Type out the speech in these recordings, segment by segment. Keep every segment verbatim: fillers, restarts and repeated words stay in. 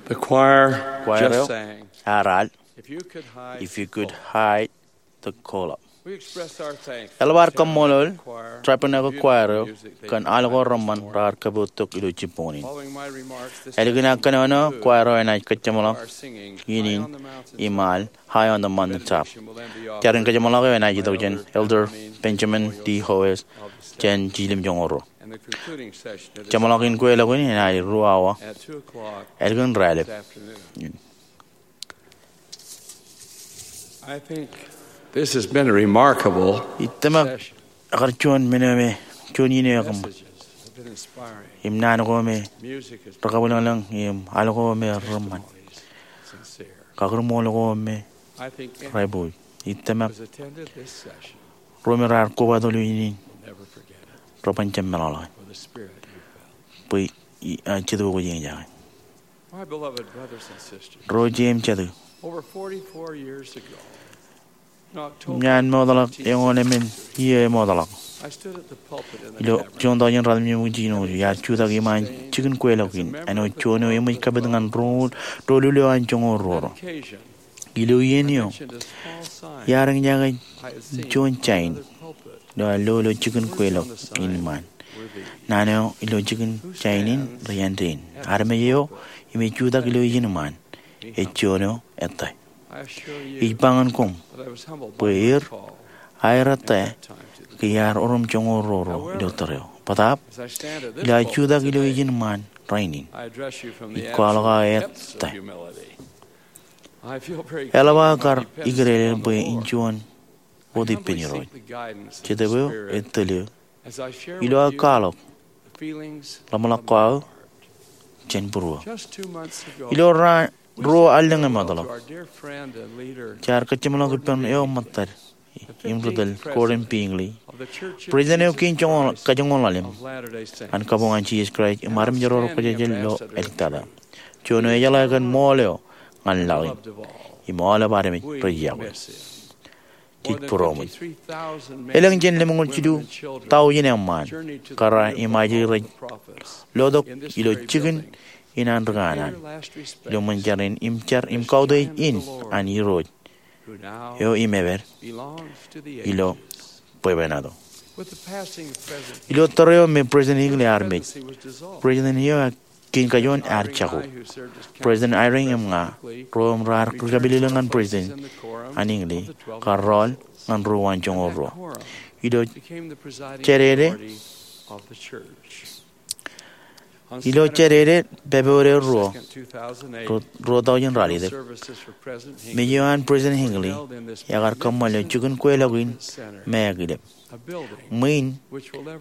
The choir Kwaer eo just sang, ear al, If You Could Hide If You Could Hide the Coal Up. We express our thanks to Eḷap ad kaṃṃoolol Chaplain Echo Choir eo kōn al ko reṃṃan raar kapoottok ilo jibboñ in. Following my remarks this Ālikin aō kōnono, choir eo enaaj kōjeṃḷọk iien in im al High on the Mountain Top. Jar in kōjeṃḷọk eo enaaj itok jān Elder Benjamin D. Howes jān Jiljilimjuonñoul ruo. Jeṃḷọkin kweilọk in enaaj ruo awa ālikin raelep. Ij tōmak ekar juon men eo me, juon iien eo ekōṃṃan. Im naan ko me rekabwilōñlōñ im al ko me reṃṃan. Kakūrmool ko me rej bōk. Ij tōmak ro me raar kobatok ilo iien in reban jab meḷọkḷọk bwe ij, ij, ij, ij, My beloved brothers and sisters, ro jeiū im jatū, over forty-four years ago, in October, imñaan mootḷọk eñoul emān iiō emootḷọk, I stood at the pulpit in the ilo tabernacle juon tọujien ratimjuonñoul jiljino, iar jutak iṃaan jikin kweilọk in āinwōt juon eo eṃōj kapit ñan ro, doulul eo an joñoul ruo ro. Ilo iien eo, iar eñjake juon jain eo ear lo ilo jikin kweilọk in iṃaan. Naan eo ilo jikin jain in rej āindein. Armej eo im ej jutak ilo iien iṃaan ej juon eo ettā. Ij ba ñan koṃ bwe er aer ettā ke iar orōm joñoul ruo ro ilo tōre eo. Bōtaab, ilo aō jutak ilo iien iṃaan rainin, ij kwaḷọk aō ettā. Eḷap aō kar ikdeḷọñ bwe in juon wōt ippān Irooj. Jetōb eo ej tōl eō ilo aō kwaḷọk ḷōmṇak ko aō jān būruō. Ilo raan ruo allōñ emootḷọk, jaar kōjeṃḷọk ippān eo ṃōttad im ri tōl, Gordon B. Hinckley, president eo kein kajoñoul ḷalem an kabuñ an Jisōs Kraist im armej ro rej kwōjarjar ilo āliktata. Juon eo ejeḷā kōn ṃool eo ñan laḷ in im aolep armej rej yokwe. Jej būroṃōj. Elōñ jān lemñoul jilu taujin eṃṃaan kōrā im ajri rej lotok ilo jikin in an ri kanaan ilo ṃōn jar in im jar im kautiej in an Irooj eo im epād ilo bwebwenato. Ilo tōre eo me President Hinckley ear mej, President eo kein kajoor ear jako. President Eyring im ña, ro im raar ri kapilōklōk ñan President an Hinckley, kar rọọl ñan ruo an joñoul ruo. Ilo Jādede, ilo Jādede Pebruary ruo, ruo, ruo tọujin ralitōk, mej eo an President Hinckley ekar kōṃṃan ilo jikin kweilọk in Mackay Lep. Ṃwiin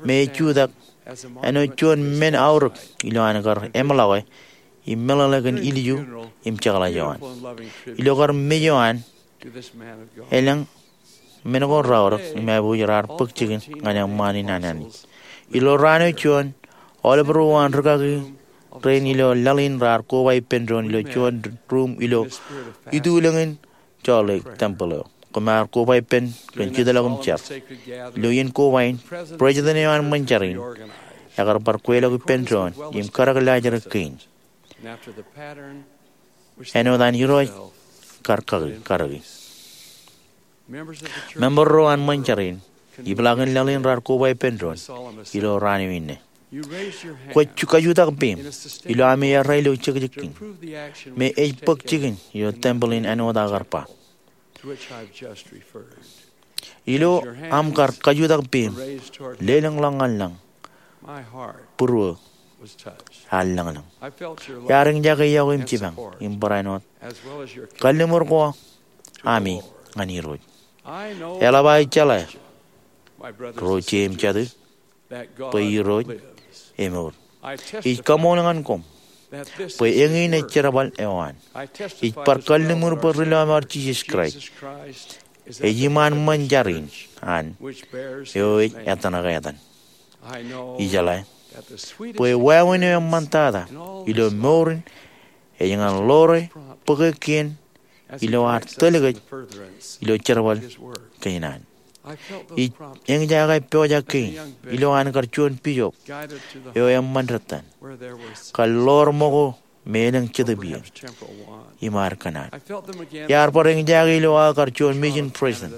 me ej jutak āinwōt juon men aorōk ilo an kar eṃḷọke im meḷeḷe kōn ilju im jekḷaj eo an. Ilo kar mej eo an, elōñ men ko raorōk im aō bwe raar bōk jikin ñan eṃṃaan in an Anij. Ilo raan eo juon, aolep ro an rūkaki rein ilo laḷ in raar koba ippān doon ilo juon ruum ilo itulōñin Salt Lake Temple eo. Koṃ ar koba ippān kōn jitḷọk im jar. Ilo iien koba in, president eo an ṃōn jar in ekar bar kweilọk ippān doon im kadek laajrak kein āinwōt an Irooj kar kaki, karōki. Member ro an ṃōn jar in, ipḷaakin laḷ in raar koba ippān doon ilo raan eo inne. Kwōj kajutak peiṃ ilo ami errā ilo jekjek kein me ej bōk jikin ilo tempeḷ in āinwōt aō kar ba. Ilo aṃ kar kajutak peiṃ, lelōñḷọk ñan lañ, būruō ear lōñlōñ. Iar eñjake iọkwe im jipañ im barāinwōt kalliṃur ko ami ñan Irooj. Eḷap aō jeḷā, ro jeiū im jatū, bwe Irooj emour. Ij kaṃool ñan koṃ bwe eñin ej jerbal eo an. Ij bar kalliṃur bwe ri lọmọọr Jisōs Kraist ej iṃaan ṃōn jar in an eo ej ettōṇak etan. Ijeḷā bwe wāween eo eṃṃantata ilo mour in ej ñan ḷoore bōke kien ilo ad tōl kōj ilo jerbal kein an. Ij eñjake pojak kein ilo an kar juon bishop eo eṃṃan dettan, kar ḷoor ṃōko me elōñ Jetōb iiō im ad kōṇaan. Iar bar eñjake ilo aō kar juon mission president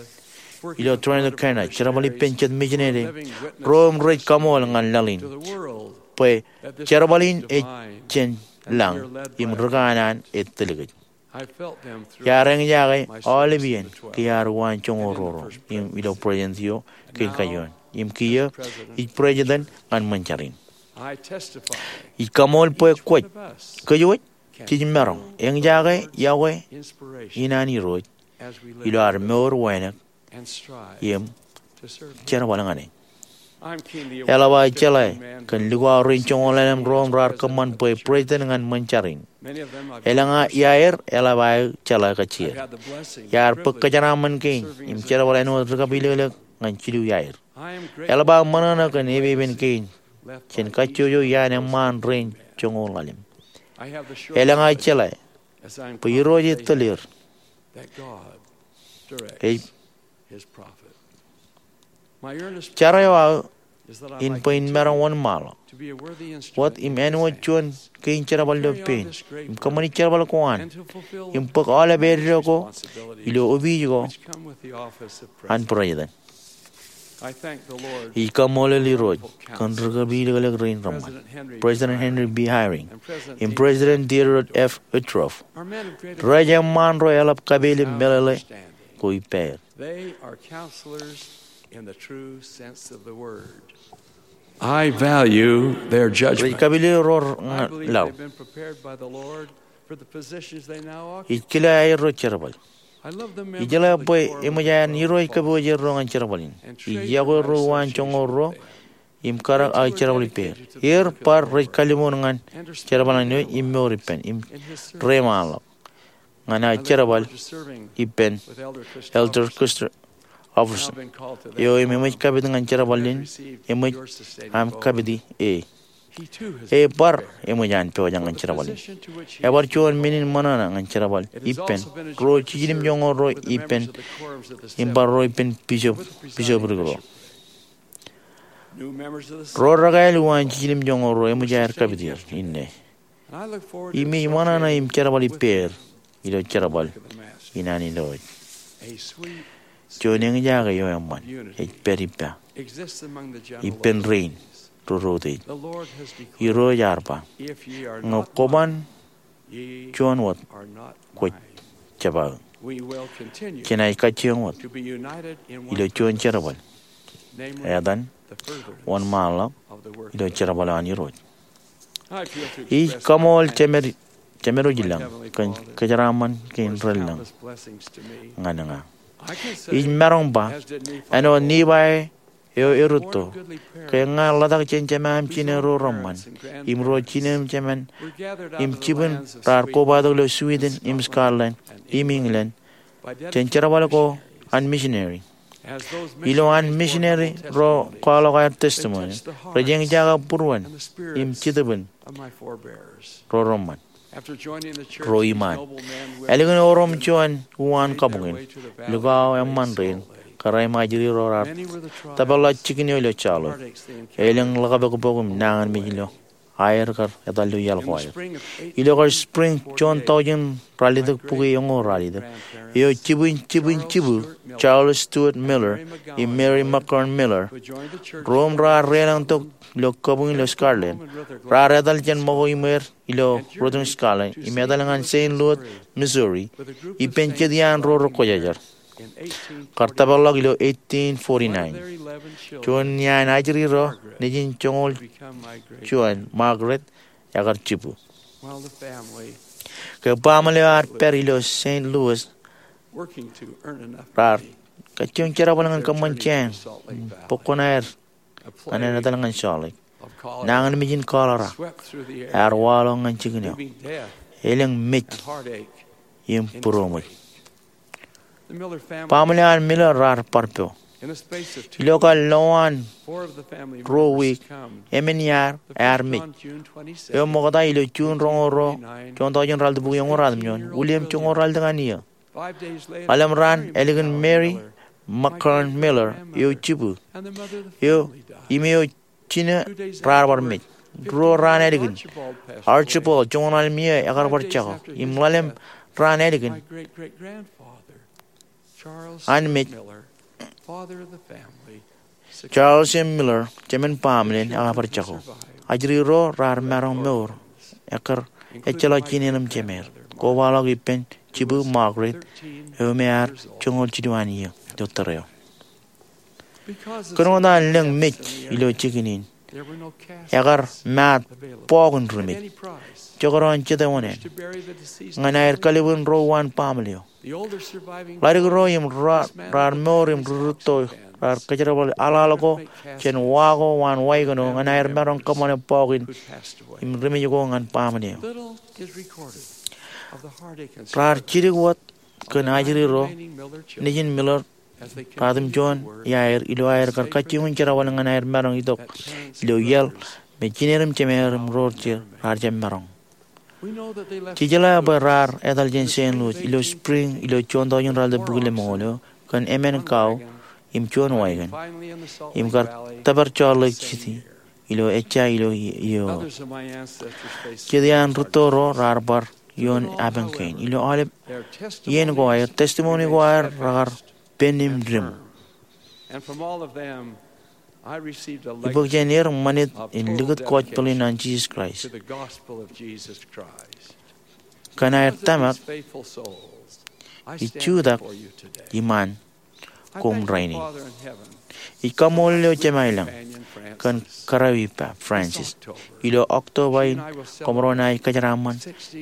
ilo Toronto, Canada, jerbal ippān jet mission eo, ro im rej kaṃool ñan laḷ in bwe jerbal in ej jān lañ im ri kanaan ej tōl kōj. Iar eñjake aolep iien ke iar uwaan joñoul ruo ro im ilo president eo kein kajuon im kiiō ij president ñan ṃōn jar in. Ij kaṃool bwe kwōj, kōj wōj, jej maroñ eñjake yokwe in an Irooj ilo ad mour wānōk im jerbal ñan e. Eḷap aō jeḷā kōn lukwaḷọk rein joñoul ḷalem ro im raar kōṃṃan bwe president ñan ṃōn jar in. Elōñ aer eḷap aō jeḷā kajjien. Iar bōk kōjeraaṃṃan kein im jerbal āinwōt ri kapilōklōk ñan jilu iaer. Eḷap aō ṃōṇōṇō kōn epepen kein jān kajjojo iaan eṃṃaan rein joñoul ḷalem. Elōñ aō jeḷā bwe Irooj ej tōl er. Ej jar eo aō in bwe in maroñ wōnṃaanḷọk wōt im āinwōt juon kein jerbal ilo pein im kōṃṃani jerbal ko an im bōk aolep eddo ko ilo opiij ko an president. Ij kaṃṃoolol Irooj kōn ri kapilōklōk rein reṃṃan, President Henry B. Eyring im President Theodore F. Uchtdorf. Rej eṃṃaan ro eḷap kapeel im meḷeḷe ko ippāer. They are counselors in the true sense of the word. I value their judgment. Rej kapilōk ro laḷ. Ij kile aerro jerbal. Ijeḷā bwe eṃōj an Irooj kōpooje erro ñan jerbal in. Ij yokwe erro uwaan joñoul ruo im karōk aō jerbal ippāer. Er bar rej kalliṃur ñan jerbal in im mour ippān im reṃaanḷọk ñan aō jerbal ippān Elder Christopher Offerson eo im eṃōj kapit ñan jerbal in eṃōj aṃ kapiti e. E bar eṃōj an pojak ñan jerbal in. Ebar juon men in ṃōṇōṇō ñan jerbal ippān ruo jiljilimjuonñoul ruo ippān im bar ruo ippān bisop, bisoprik ro. Ro rekāāl uwaan jiljilimjuonñoul ruo eṃōj aer kapit er inne. Im ij ṃōṇōṇō im jerbal ippāer ilo jerbal in an Irooj. Juon eñjake eo eṃṃan ej pād ippa ippān rein ro rūtto. Irooj ear ba, ñe kwōban juon wōt, kwōj jab aō. Jenaaj kajjioñ wōt ilo juon jerbal, etan wōnṃaanḷọk ilo jerbal eo an Irooj. Ij kaṃool Jemed, Jemed eo ilañ kōn kōjeraaṃṃan kein relōñ ñan ña. Ij maroñ ba, āinwōt Nifai eo erūtto, ke ña ḷotak jān jema im jine ro reṃṃan im ruo jine im jeman im jibwin raar kobatok ilo Sweden im Scotland im England jān jerbal ko an misineri. Ilo an misineri ro kwaḷọk aer testimony, rej eñjake būruon im jetōb in ro reṃṃan, ro iṃaan. Ālikin orom juon uwaan kabuñ in, lukwaḷọk eṃṃan rein kōrā im ajri ro raar tōpar ḷọk jikin eo ilo Charlotte. Elōñ ḷōkpokpok im nañinmej ilo aer kar etal ilo iaḷ ko aer. Ilo kar spring juon taujin ralitōk bukwi eñoul ralitōk, eo jibwin jibwin jibu, Charles Stewart Miller im Mary McCorn Miller, ro im raar deḷọñtok ilo kabuñ ilo Scotland, raar etal jān ṃōko iṃweer ilo Rutland, Scotland im etal ñan Saint Louis, Missouri, ippān jet iaan ro rekwōjarjar. Kar tōparḷọk ilo eighteen forty-nine. Juon iaan ajri ro nejin joñoul juon, Margaret, ekar jibu. Ke baaṃle eo ear pād ilo Saint Louis, raar kajjioñ jerbal ñan kōṃṃan jāān bōk kuṇaer ñan etal ñan Salt Lake. Nañinmej in cholera ear waḷọk ñan jikin eo. Elōñ mej im būroṃōj. Baaṃle an Miller raar bar po. Ilo kar lowaan ruo wiik, emān iaar ear mej. Eo ṃokta ilo June roñoul ruo, juon taujin ralitōk bukwi eñoul ratimjuon, William joñoul ralitōk an iiō. Ḷalem raan ālikin Mary McCorn Miller eo jibu, eo im eo jine raar bar mej. Ruo raan ālikin, Archibald, joñoul ḷalem iiō, ekar bar jako. Im ḷalem raan ālikin, an mej, Charles M. Miller, jemān baaṃle in, ekar bar jako. Ajri ro raar maroñ mour, ekkar ejjeḷọk jined im jemed. Kobaḷọk ippān jibū Margaret, eo me ear joñoul jilu an iiō ilo tōre eo. Kōn wōt an lōñ mej ilo jikin in, ekar maat bọọk in ri mej, jekdọọn jete oṇāān, ñan aer kallibu in ro uwaan baaṃle eo. Ḷadik ro im raar mour im ri rūtto raar kōjerbal aḷaḷ ko jān wa ko waan waikōn eo ñan aer maroñ kōṃṃane bọọk in im ri mej ko ñan baaṃle eo. Raar jidik wōt kōn ajri ro nejin Miller ratimjuon iaer ilo aer kar kajjioñ in jerbal ñan aer maroñ itok ilo iaḷ me jined im jemed im ro jeiū raar jab maroñ. Jej jeḷā bwe raar etal jān Saint Louis ilo spring ilo juon tọujin ralitōk bukwi lemñoul eo kōn emān kau im juon waikōn im kar tōpar Salt Lake City ilo ejja ilo iiō. Jet iaan rūtto ro raar bar ioon epañ kein. Ilo aolep iien ko aer, testimony ko aer rekar pen im diṃ. Ibōk jān er ṃanit in likūt gospel in an Jisōs Kraist. Kōn aer tōmak, ij jutak iṃaan koṃ rainin. Ij kaṃṃoolol eō Jemān lañ kōn kōrā eo ippa, Francis, ilo October in, koṃro naaj kōjeraaṃṃan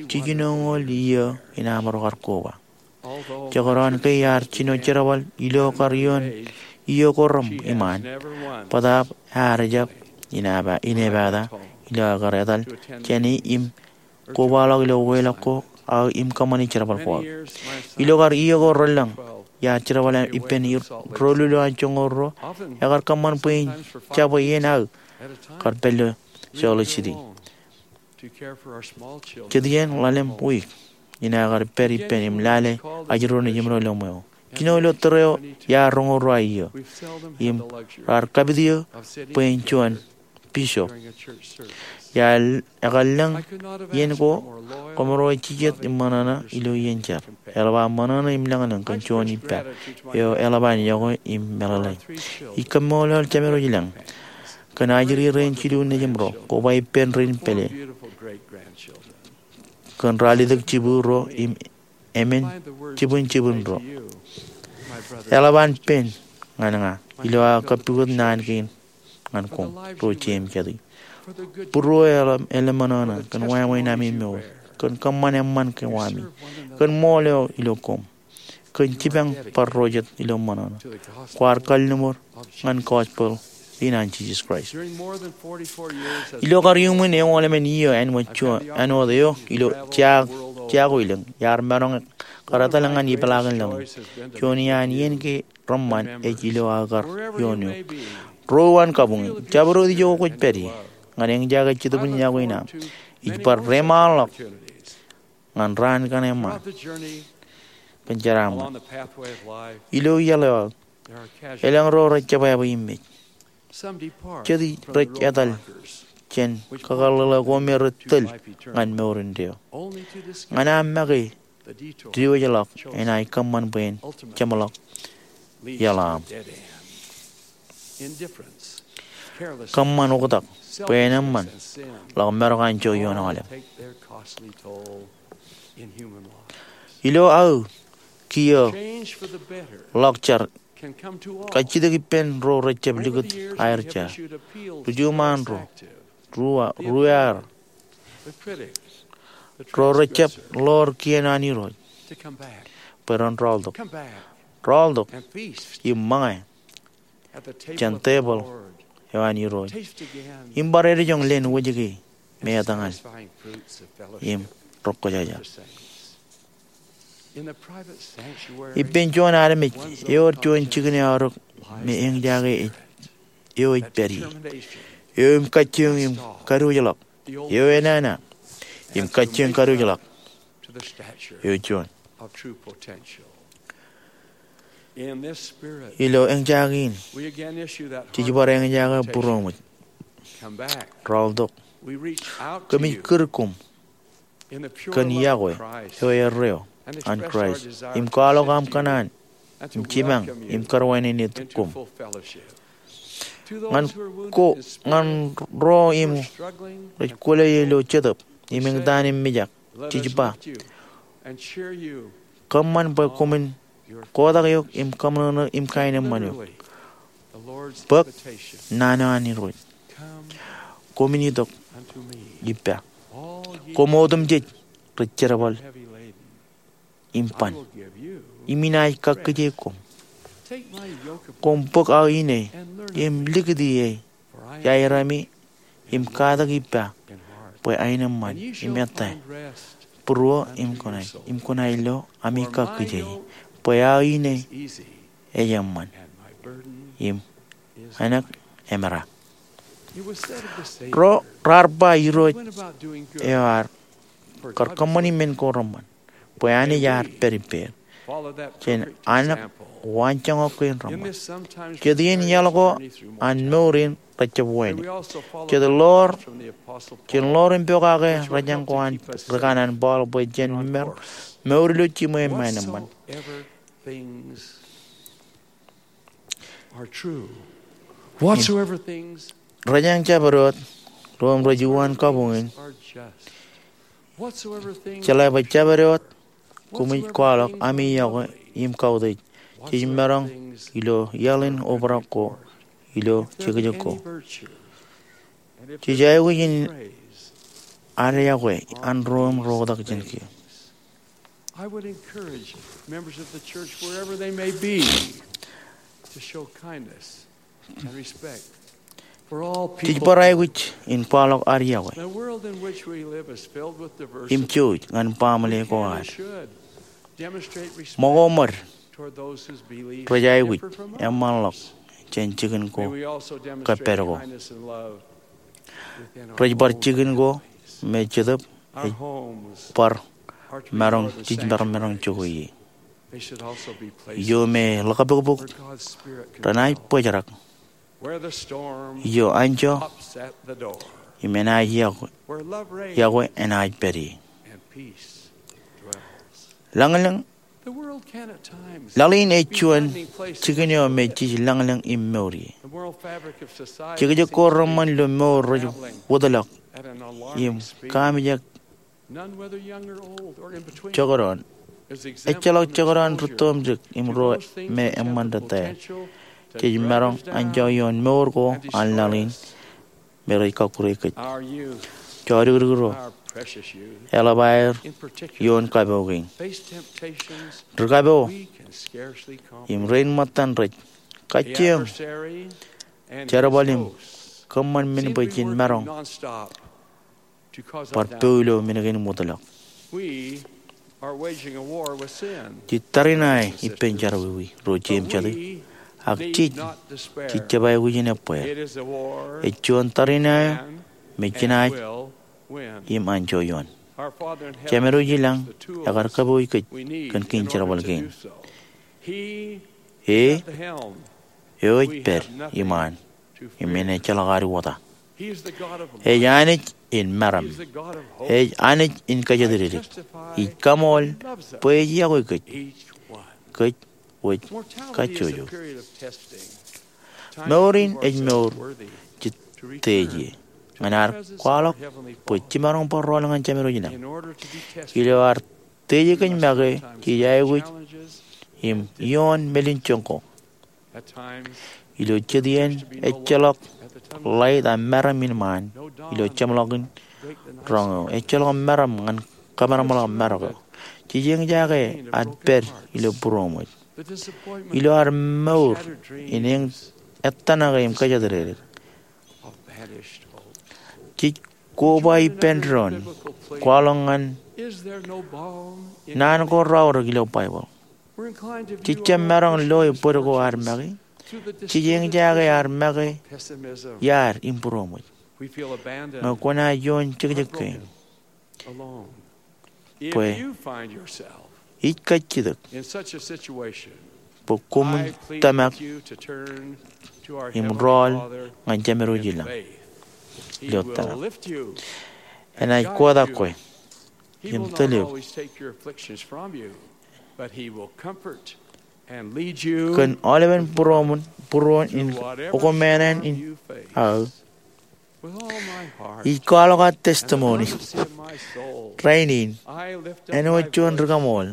jiljinoñoul iiō in aṃro kar koba. Jekdọọn ke iar jino jerbal ilo kar ioon iiō ko reṃ iṃaan, bōtaab ear jab inepata ilo aō kar etal jāne im kobaḷọk ilo weḷọk ko aō im kōṃṃani jerbal ko aō. Ilo kar iiō ko relōñ, iar jerbal ippān doulul eo an joñoul ruo, ekar kōṃṃan bwe in jabwe iien aō kar pād ilo Salt Lake City. Jet iien ḷalem wiik in aō kar pād ippān im lale ajri ro nejimro ilo ṃweo. Jino ilo tōre eo iar roñoul ruo iiō im raar kapit eō bwe in juon bishop. Iar ekar lōñ iien ko, koṃro ej jijet im ṃōṇōṇō ilo iien jar. Eḷap aō ṃōṇōṇō im lōñlōñ kōn juon ippa eo eḷap an yokwe im meḷeḷe. Ij kaṃṃoolol jemād eo ilañ kōn ajri rein jilu nejimro, koba ippān rein pālle, kōn ralitōk jibū ro im emān jibwinjibwin ro. Eḷap an pen ñan ña ilo aō kapukot naan kein ñan koṃ ro jeiū im kate. Būruō eḷap ṃōṇōṇō kōn wāween ami mour, kōn kōṃṃan eṃṃan kōn wami, kōn ṃool eo ilo koṃ, kōn jipañ bar ro jet ilo ṃōṇōṇō. Kwaar kalliṃur ñan gospel in an Jisōs Kraist. Ilo kar iuṃwin eoon ḷalem iiō āinwōt juon, āinwōt eo ilo jaak, jaak ko ilōñ, iar maroñ kar etal ñan ipeḷaakin laḷ in. Juon iaan iien ke reṃṃan ej ilo aō kar ioon eok. Ruo uwaan kabuñ, jabdewōt ijo kwōj pād ie, ñan eñjake jetōb in yokwe in aṃ. Ij bar deṃaanḷọk ñan raan kaṇe ṃaan kōn jeraaṃṃan. Ilo iaḷ eo aō, elōñ ro rej jebwābwe im mej. Jet rej etal jān kakōḷḷe ko me rej tōl ñan mour indeeo. Ñan aṃ make diwōjḷọk enaaj kōṃṃan bwe en jeṃḷọk iaḷ eo aṃ. Kōṃṃan oktak bwe en eṃṃan ḷọk marok anjọ ioon aolep. Ilo aō kiiō ḷọk jar, kajjitōk ippān ro rejjab likūt aer jar, rujuṃaan ro, ruo, ruo ear, ro rejjab ḷoor kien an Irooj, bwe ren rọọltok, rọọltok im ṃōñā jān tebōḷ eo an Irooj im bar edijoñ leen wōjke me etōñal im rọkkwōjarjar. Ippān juon armej ewōr juon jikin eaorōk me eñjake ej, eo ej pād ie, eo im kajjioñ im kadiwōjḷọk, eo enana im kajjioñ kadiwōjḷọk, eo juon. Ilo eñjake in, jej bar eñjake būroṃōj, rọọltok Kōmij kūr koṃ kōn yokwe eo erreo an Kraist im kwaḷọk aṃ kōṇaan im jipañ im karuwainene koṃ. Ñan ko ñan ro im rej kwōle ilo jetōb im eñtaan im mijak, jej ba, kōṃṃan bwe koṃwin kotak eok im kōṃṃan eok im kaenōṃṃan eok. Bōk naan eo an Irooj. Koṃwin itok ippa, koṃ otemjej rej jerbal im ban, im inaaj kakkije koṃ. Koṃ bōk aō ine im likūti e iaerami im katak ippa bwe aenōṃṃan im ettā būruō im kōṇaan im kōṇaan ilo ami kakkije bwe aō ine ej eṃṃan im enak emera. Ro raar ba Irooj eo ar kar kōṃṃani men ko reṃṃan bwe Anij ear pād ippāer. Jen anak waanjoñak kein reṃṃan. Jet iien iaḷ ko an mour in rej jab wānōk. Jet ḷoor, jen ḷoor im pokake rōjañ ko an ri kanaan Paul bwe jen mer mour ilo jiṃwe im aenōṃṃan. Whatsoever things Rōjañ jabdewōt ro im rej uwaan kabuñ in. Jeḷā bwe jabdewōt koṃij kwaḷọk ami yokwe im kautiej, jej maroñ ilo iaḷ in obrak ko ilo jekjek ko. Jej aikuj in ad yokwe an ro im rej oktak jān kiiō. I would encourage members of the church, wherever they may be, to show kindness and respect for all people. Jej bar aikuj in kwaḷọk ad yokwe The world in which we live is filled with diversity. Im jouj ñan baaṃle ko ad. Should demonstrate respect Ṃōko ṃōd toward those whose beliefs rej aikuj differ from ours. Eṃṃanḷọk jān jikin ko May we also demonstrate kōppād ko. Kindness and love within our Rej bar own jikin ko families. Me Jetōb ej bar maroñ jijmaroñ jokwe ie. Io me ḷōkpukpuk renaaj bōjrak. Io anjọ im enaaj yokwe, yokwe enaaj pād ie. Lañlōñ Laḷ in ej juon jikin eo me jej lañlōñ im mour ie. Jekjek ko reṃṃan ilo mour rej wōtlọk im kaamijak jokdoon. Ejjeḷọk jokdoon rūttoṃjik im ro me eṃṃan rūtto. Jej maroñ anjọ ioon mour ko an laḷ in me rej kakkure kōj. Jodikdik ro, eḷap aer ioon kapo kein. Ri kapo im rein ṃōttan rej kajjioñ jerbal im kōṃṃan men bwe jen maroñ bar po ilo men kein im wōtlọk. Jej tariṇae ippān jerọwiwi ro jeiū im jatū, ak jej, jej jab aikuj in ebbeer. Ej juon tariṇae me jenaaj im anjọ ioon. Jemedwōj ilañ ekar kapooj kōj kōn kein jerbal kein. E, eo ej pād iṃaan im enaaj ejjeḷọk ad wōta. Ej Anij in meram. Ej Anij in kōjatdikdik. Ij kaṃool bwe ej yokwe kōj, kōj wōj kajjojo. Mour in ej mour jej teej ie ñan ad kwaḷọk bwe jiṃaroñ bar rọọl ñan Jemedwōj ilañ. Ilo ad teje kōj make, jej aikuj im ioon melinjoñ ko. Ilo jet iien ejjeḷọk ḷait ak meram in ṃaan ilo jeṃḷọkin roñ eo. Ejjeḷọk meram ñan kōmeramḷọk marok eo. Jej eñjake ad pād ilo būroṃōj. Ilo ad mour in eñtaan ke im kōjatdikdik, jej koba ippān doon kwaḷọk ñan naan ko raorōk ilo Baibōḷ. Jej jab maroñ loe bōd ko ad make. Jej eñjake ad make iaad im būroṃōj. Ñe kwōnaaj ioon jekjek kein, bwe ij kajjitōk bwe koṃwin tōmak im rọọl ñan Jemedwōj ilañ. ilo tōmak. Enaaj kotak kwe im tōl eok. Kōn aolepen būruōṃ in, būruō in okoṃṃan in aō, ij kwaḷọk aō testimony rainin. Āinwōt juon rikaṃool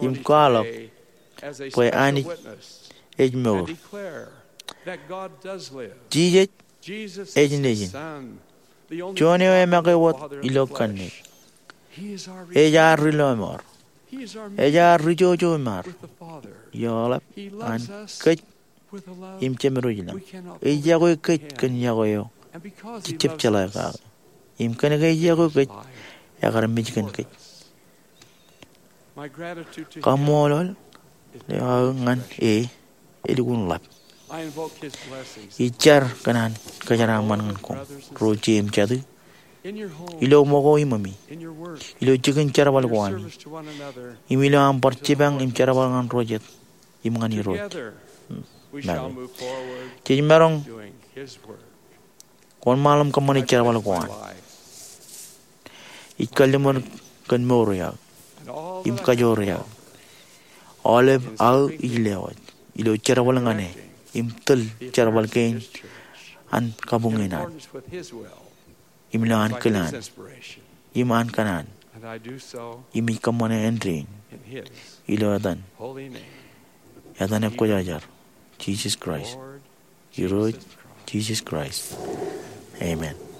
im kwaḷọk bwe Anij ej mour. Jisōs ej Nejin, juon eo emake wōt ilo kanniōk. Ej ad ri-lọmọọr. Ej ad ri-jojo im ad. Eḷap an kōj im jemed wōj lañ. Ej yokwe kōj kōn yokwe eo jej jab jeḷā kake. Im kōnke ej yokwe kōj, ekar mej kōn kōj. Kaṃṃoolol eo aō ñan e elukkuun ḷap. Ij jar kōn an kōjeraaṃṃan ñan koṃ ro jeiū im jatū, ilo ṃōko iṃōmi, ilo jikin jerbal ko ami, im ilo aṃ bar jipañ im jerbal ñan ro jet im ñan Irooj make. Jej maroñ wōnṃaanḷọk im kōṃṃane jerbal ko an. Ij kalliṃur kōn mour eo aō im kajoor eo aō. Aolep aō ij lewōj ilo jerbal ñan e im tōl jerbal kein an kabuñ in an, im ilo an kōl an, im an kōṇaan, im ij kōṃṃane āindein ilo etan, etan ekwōjarjar, Jisōs Kraist. Irooj Jisōs Kraist. Amen.